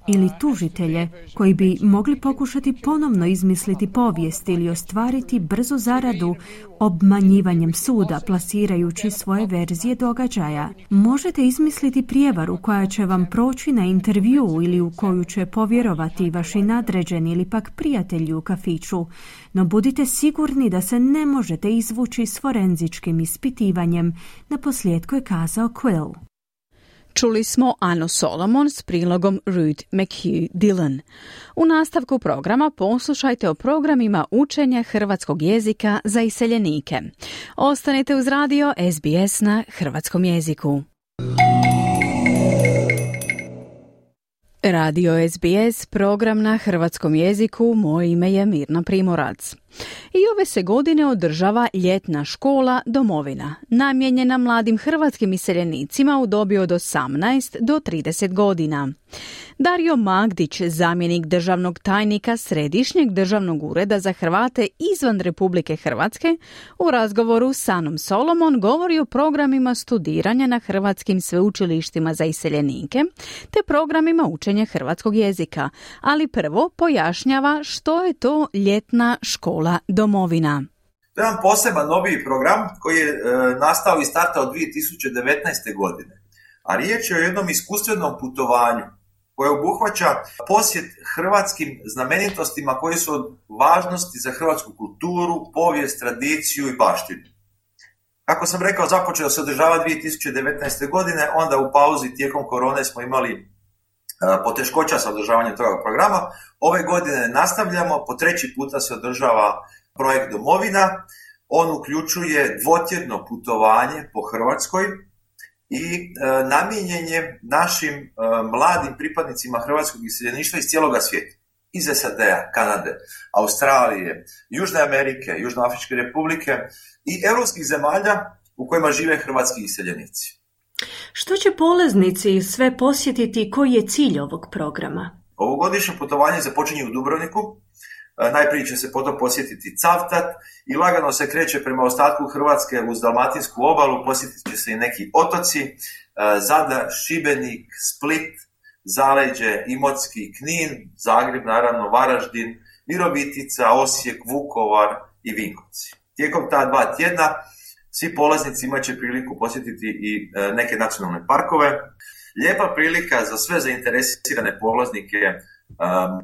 ili tužitelje koji bi mogli pokušati ponovno izmisliti povijest ili ostvariti brzu zaradu obmanjivanjem suda, plasirajući svoje verzije događaja. Možete izmisliti prijevaru koja će vam proći na intervju ili u koju će povjerovati vaši nadređeni ili pak prijatelji u kafiću, no budite sigurni da se ne možete izvući s forenzičkim ispitivanjem, naposljetku je kazao Quill. Čuli smo Anu Solomon s prilogom Ruth McHugh Dillon. U nastavku programa poslušajte o programima učenja hrvatskog jezika za iseljenike. Ostanite uz radio SBS na hrvatskom jeziku. Radio SBS, program na hrvatskom jeziku, moje ime je Mirna Primorac. I ove se godine održava ljetna škola Domovina, namijenjena mladim hrvatskim iseljenicima u dobi od 18 do 30 godina. Dario Magdić, zamjenik državnog tajnika Središnjeg državnog ureda za Hrvate izvan Republike Hrvatske, u razgovoru s Anom Solomon govori o programima studiranja na hrvatskim sveučilištima za iseljenike te programima učenja hrvatskog jezika, ali prvo pojašnjava što je to ljetna škola Domovina. To je jedan poseban noviji program koji je nastao i startao 2019. godine, a riječ je o jednom iskustvenom putovanju koje obuhvaća posjet hrvatskim znamenitostima koji su od važnosti za hrvatsku kulturu, povijest, tradiciju i baštinu. Kako sam rekao, započeo se održava 2019. godine, onda u pauzi tijekom korone smo imali poteškoća sa održavanjem toga programa. Ove godine nastavljamo, po treći puta se održava projekt Domovina. On uključuje dvotjedno putovanje po Hrvatskoj i namijenjen je našim mladim pripadnicima hrvatskog iseljeništva iz cijeloga svijeta. Iz SAD-a, Kanade, Australije, Južne Amerike, Južnoafričke republike i europskih zemalja u kojima žive hrvatski iseljenici. Što će polaznici sve posjetiti i koji je cilj ovog programa? Ovogodišnje putovanje započinje u Dubrovniku. Najprije će se potom posjetiti Cavtat i lagano se kreće prema ostatku Hrvatske uz Dalmatinsku obalu. Posjetit će se i neki otoci, Zadar, Šibenik, Split, Zaleđe, Imotski, Knin, Zagreb, naravno Varaždin, Virovitica, Osijek, Vukovar i Vinkovci. Tijekom ta 2 tjedna svi polaznici imat će priliku posjetiti i neke nacionalne parkove. Lijepa prilika za sve zainteresirane polaznike,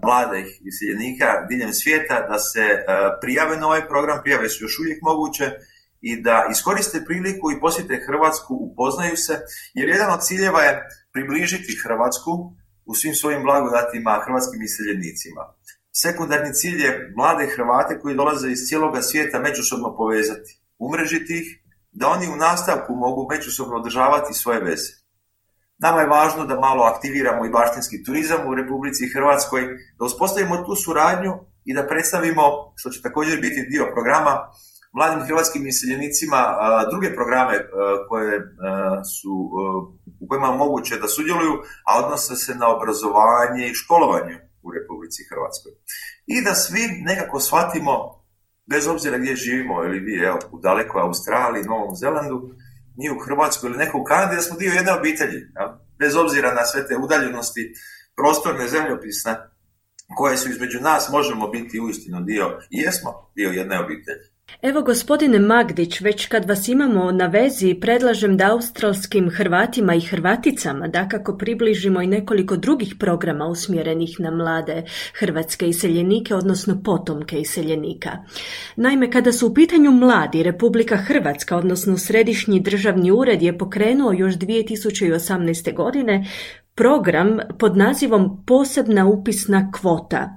mladih iseljenika diljem svijeta da se prijave na ovaj program, prijave su još uvijek moguće i da iskoriste priliku i posjete Hrvatsku, upoznaju se, jer jedan od ciljeva je približiti Hrvatsku u svim svojim blagodatima hrvatskim iseljenicima. Sekundarni cilj je mlade Hrvate koji dolaze iz cijeloga svijeta međusobno povezati, umrežiti ih, da oni u nastavku mogu međusobno održavati svoje veze. Nama je važno da malo aktiviramo i baštinski turizam u Republici Hrvatskoj, da uspostavimo tu suradnju i da predstavimo, što će također biti dio programa, mladim hrvatskim iseljenicima druge programe u kojima je moguće da sudjeluju, a odnose se na obrazovanje i školovanje u Republici Hrvatskoj. I da svi nekako shvatimo, bez obzira gdje živimo, ili vi u dalekoj Australiji, Novom Zelandu, mi u Hrvatskoj ili neko u Kanadi, da smo dio jedne obitelji. Bez obzira na sve te udaljenosti prostorne, zemljopisne, koje su između nas, možemo biti uistinu dio, i jesmo dio jedne obitelji. Evo, gospodine Magdić, već kad vas imamo na vezi, predlažem da australskim Hrvatima i Hrvaticama dakako približimo i nekoliko drugih programa usmjerenih na mlade hrvatske iseljenike, odnosno potomke iseljenika. Naime, kada su u pitanju mladi, Republika Hrvatska, odnosno Središnji državni ured, je pokrenuo još 2018. godine program pod nazivom Posebna upisna kvota.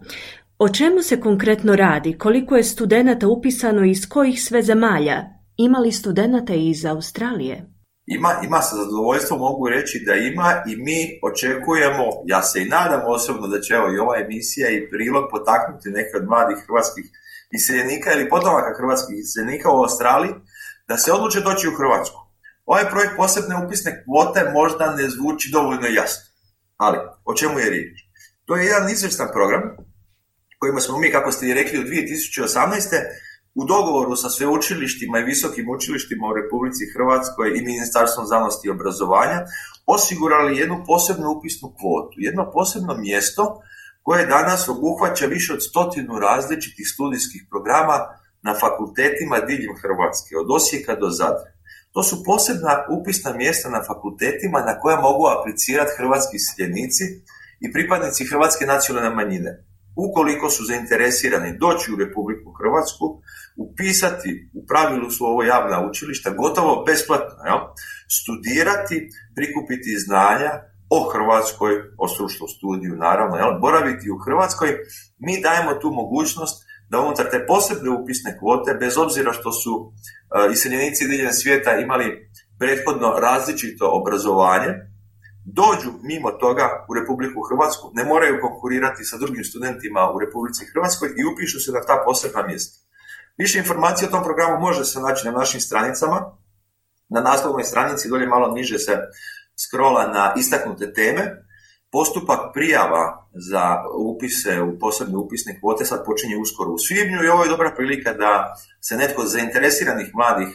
O čemu se konkretno radi? Koliko je studenata upisano i iz kojih sve zemalja? Ima li studenata i iz Australije? Ima, sa zadovoljstvom mogu reći da ima i mi očekujemo, ja se i nadam osobno da će i ova emisija i prilog potaknuti neke od mladih hrvatskih iseljenika ili potomaka hrvatskih iseljenika u Australiji da se odluče doći u Hrvatsku. Ovaj projekt posebne upisne kvote možda ne zvuči dovoljno jasno, ali o čemu je riječ? To je jedan izvrstan program kojima smo mi, kako ste i rekli, u 2018. u dogovoru sa sveučilištima i visokim učilištima u Republici Hrvatskoj i Ministarstvom znanosti i obrazovanja osigurali jednu posebnu upisnu kvotu, jedno posebno mjesto koje danas obuhvaća više od 100 različitih studijskih programa na fakultetima diljem Hrvatske, od Osijeka do Zadra. To su posebna upisna mjesta na fakultetima na koja mogu aplicirati hrvatski iseljenici i pripadnici hrvatske nacionalne manjine. Ukoliko su zainteresirani doći u Republiku Hrvatsku, upisati, u pravilu su ovo javna učilišta, gotovo besplatno, studirati, prikupiti znanja o Hrvatskoj, o stručnom studiju, naravno, boraviti u Hrvatskoj, mi dajemo tu mogućnost da unutar te posebne upisne kvote, bez obzira što su iseljenici diljem svijeta imali prethodno različito obrazovanje, dođu mimo toga u Republiku Hrvatsku, ne moraju konkurirati sa drugim studentima u Republici Hrvatskoj i upišu se na ta posebna mjesta. Više informacija o tom programu može se naći na našim stranicama. Na naslovnoj stranici dolje malo niže se scrolla na istaknute teme. Postupak prijava za upise u posebne upisne kvote sad počinje uskoro u svibnju i ovo je dobra prilika da se netko od zainteresiranih mladih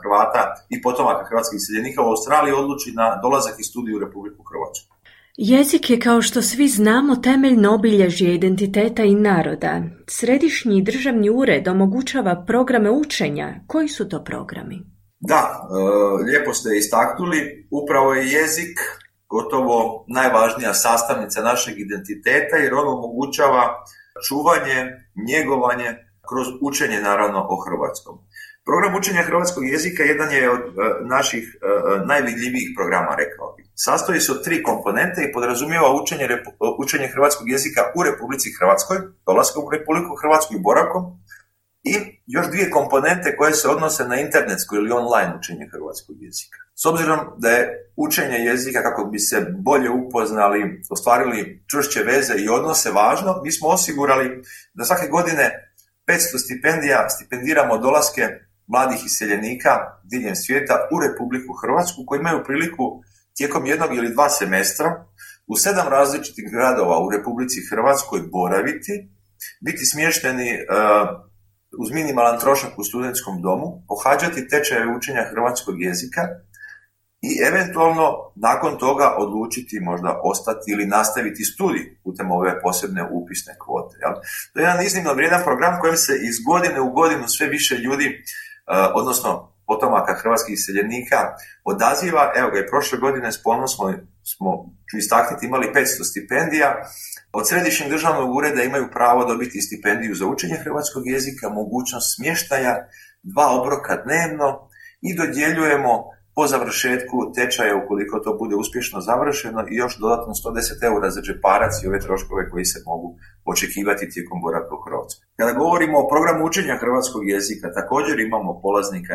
Hrvata i potomaka hrvatskih iseljenika u Australiji odluči na dolazak i studij u Republiku Hrvatsku. Jezik je, kao što svi znamo, temeljno obilježje identiteta i naroda. Središnji državni ured omogućava programe učenja. Koji su to programi? Da, lijepo ste istaknuli, upravo je jezik gotovo najvažnija sastavnica našeg identiteta jer on omogućava čuvanje, njegovanje kroz učenje naravno o hrvatskom. Program učenja hrvatskog jezika jedan je od naših najvidljivijih programa, rekao bih. Sastoji se od 3 komponente i podrazumijeva učenje hrvatskog jezika u Republici Hrvatskoj, dolaskom u Republiku Hrvatsku i boravkom, i još 2 komponente koje se odnose na internetsko ili online učenje hrvatskog jezika. S obzirom da je učenje jezika, kako bi se bolje upoznali, ostvarili čvršće veze i odnose važno, mi smo osigurali da svake godine 500 stipendija stipendiramo dolaske mladih iseljenika diljem svijeta u Republiku Hrvatsku koji imaju priliku tijekom 1 ili 2 semestra u 7 različitih gradova u Republici Hrvatskoj boraviti, biti smješteni uz minimalan trošak u studentskom domu, pohađati tečajeve učenja hrvatskog jezika i eventualno nakon toga odlučiti možda ostati ili nastaviti studij putem ove posebne upisne kvote. Jel? To je jedan iznimno vrijedan program kojem se iz godine u godinu sve više ljudi, odnosno potomaka hrvatskih iseljenika, odaziva. Evo ga, i prošle godine s ponosom smo, ću istaknuti, imali 500 stipendija. Od Središnjeg državnog ureda imaju pravo dobiti stipendiju za učenje hrvatskog jezika, mogućnost smještaja, 2 obroka dnevno i dodjeljujemo po završetku tečaja, ukoliko to bude uspješno završeno, i još dodatno 110 eura za džeparac i ove troškove koji se mogu očekivati tijekom boravka u Hrvatskoj. Kada govorimo o programu učenja hrvatskog jezika, također imamo polaznika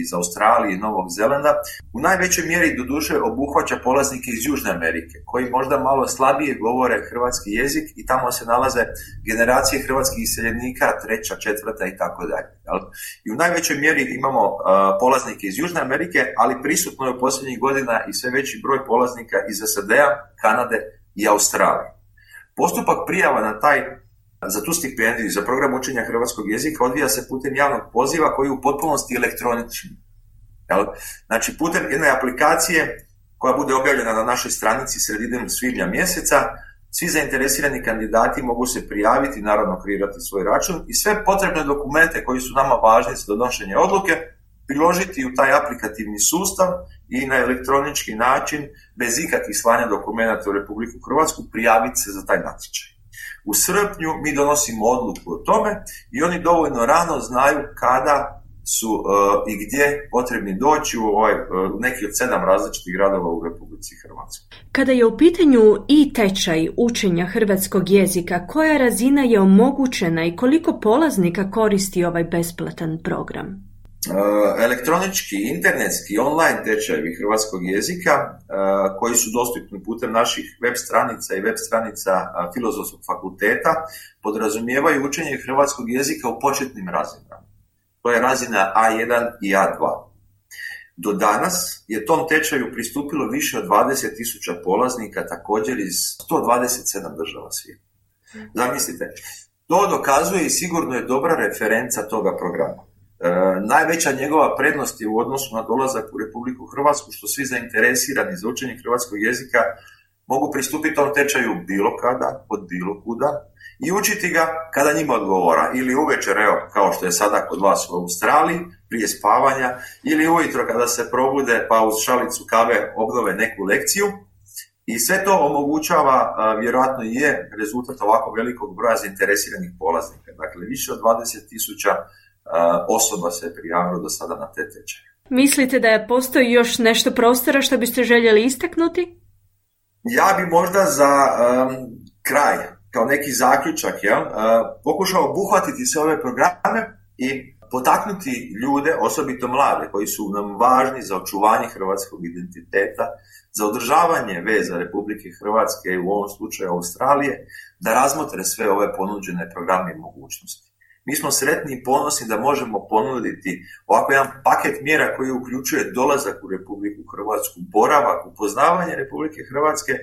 iz Australije i Novog Zelanda. U najvećoj mjeri doduše obuhvaća polaznike iz Južne Amerike, koji možda malo slabije govore hrvatski jezik i tamo se nalaze generacije hrvatskih iseljenika, 3., 4. i tako dalje. I u najvećoj mjeri imamo polaznike iz Južne Amerike, ali prisutno je u posljednjih godina i sve veći broj polaznika iz SAD-a, Kanade i Australije. Postupak prijava za tu stipendiju za program učenja hrvatskog jezika odvija se putem javnog poziva koji je u potpunosti elektronični. Znači, putem jedne aplikacije koja bude objavljena na našoj stranici sredinom svibnja mjeseca, svi zainteresirani kandidati mogu se prijaviti, naravno kreirati svoj račun i sve potrebne dokumente koji su nama važni za donošenje odluke priložiti u taj aplikativni sustav i na elektronički način, bez ikakvih slanja dokumenata u Republiku Hrvatsku, prijaviti se za taj natječaj. U srpnju mi donosimo odluku o tome i oni dovoljno rano znaju kada su i gdje potrebni doći u neki od 7 različitih gradova u Republici Hrvatskoj. Kada je u pitanju i tečaj učenja hrvatskog jezika, koja razina je omogućena i koliko polaznika koristi ovaj besplatan program? Elektronički, internetski, online tečajevi hrvatskog jezika koji su dostupni putem naših web stranica i web stranica Filozofskog fakulteta podrazumijevaju učenje hrvatskog jezika u početnim razinama. To je razina A1 i A2. Do danas je tom tečaju pristupilo više od 20.000 polaznika, također iz 127 država svijeta. Zamislite, to dokazuje i sigurno je dobra referenca toga programa. Najveća njegova prednost je u odnosu na dolazak u Republiku Hrvatsku, što svi zainteresirani za učenje hrvatskog jezika mogu pristupiti tom tečaju bilo kada, od bilo kuda i učiti ga kada njima odgovara. Ili uvečer, evo, kao što je sada kod vas u Australiji, prije spavanja, ili ujutro kada se probude pa uz šalicu kave obnove neku lekciju. I sve to omogućava, vjerojatno i je rezultat ovako velikog broja zainteresiranih polaznika. Dakle, više od 20.000 osoba se je prijavilo do sada na te tečaje. Mislite da postoji još nešto prostora što biste željeli istaknuti? Ja bi možda za kraj, kao neki zaključak, pokušao obuhvatiti sve ove programe i potaknuti ljude, osobito mlade, koji su nam važni za očuvanje hrvatskog identiteta, za održavanje veza Republike Hrvatske i u ovom slučaju Australije, da razmotre sve ove ponuđene programe i mogućnosti. Mi smo sretni i ponosni da možemo ponuditi ovako jedan paket mjera koji uključuje dolazak u Republiku Hrvatsku, boravak, upoznavanje Republike Hrvatske,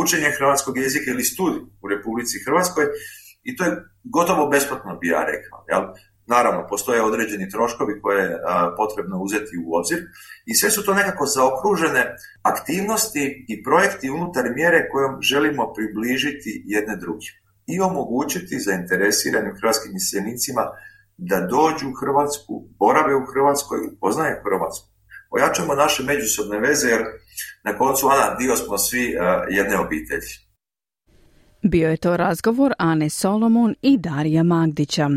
učenje hrvatskog jezika ili studij u Republici Hrvatskoj, i to je gotovo besplatno, bi ja rekao. Jel? Naravno, postoje određeni troškovi koje je potrebno uzeti u obzir i sve su to nekako zaokružene aktivnosti i projekti unutar mjere kojom želimo približiti jedne druge i omogućiti zainteresiranim hrvatskim iseljenicima da dođu u Hrvatsku, borave u Hrvatskoj, upoznaju Hrvatsku. Ojačamo naše međusobne veze jer na koncu, Ana, dio smo svi jedne obitelji. Bio je to razgovor Ane Solomon i Darija Magdića.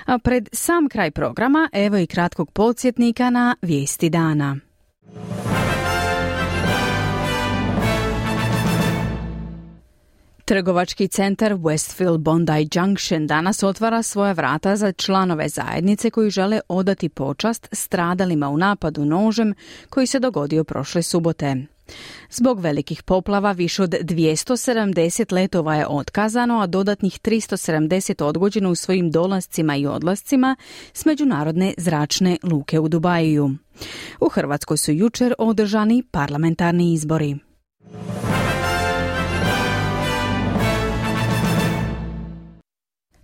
A pred sam kraj programa evo i kratkog podsjetnika na vijesti dana. Trgovački centar Westfield Bondi Junction danas otvara svoja vrata za članove zajednice koji žele odati počast stradalima u napadu nožem koji se dogodio prošle subote. Zbog velikih poplava više od 270 letova je otkazano, a dodatnih 370 odgođeno u svojim dolascima i odlascima s međunarodne zračne luke u Dubaju. U Hrvatskoj su jučer održani parlamentarni izbori.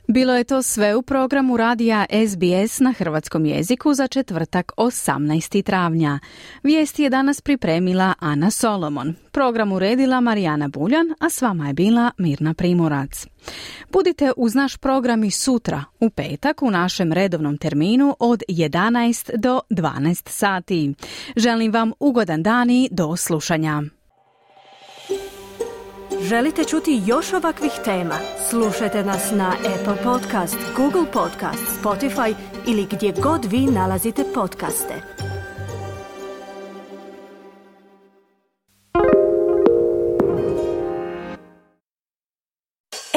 Bilo je to sve u programu radija SBS na hrvatskom jeziku za četvrtak 18. travnja. Vijesti je danas pripremila Ana Solomon. Program uredila Marijana Buljan, a s vama je bila Mirna Primorac. Budite uz naš program i sutra, u petak, u našem redovnom terminu od 11 do 12 sati. Želim vam ugodan dan i do slušanja. Želite čuti još ovakvih tema? Slušajte nas na Apple Podcast, Google Podcast, Spotify ili gdje god vi nalazite podcaste.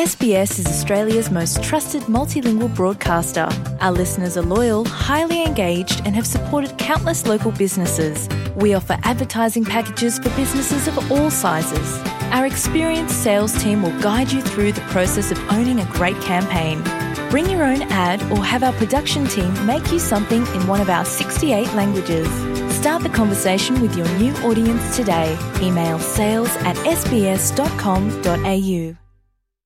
SBS is Australia's most trusted multilingual broadcaster. Our listeners are loyal, highly engaged, and have supported countless local businesses. We offer advertising packages for businesses of all sizes. Our experienced sales team will guide you through the process of owning a great campaign. Bring your own ad or have our production team make you something in one of our 68 languages. Start the conversation with your new audience today. Email sales@sbs.com.au.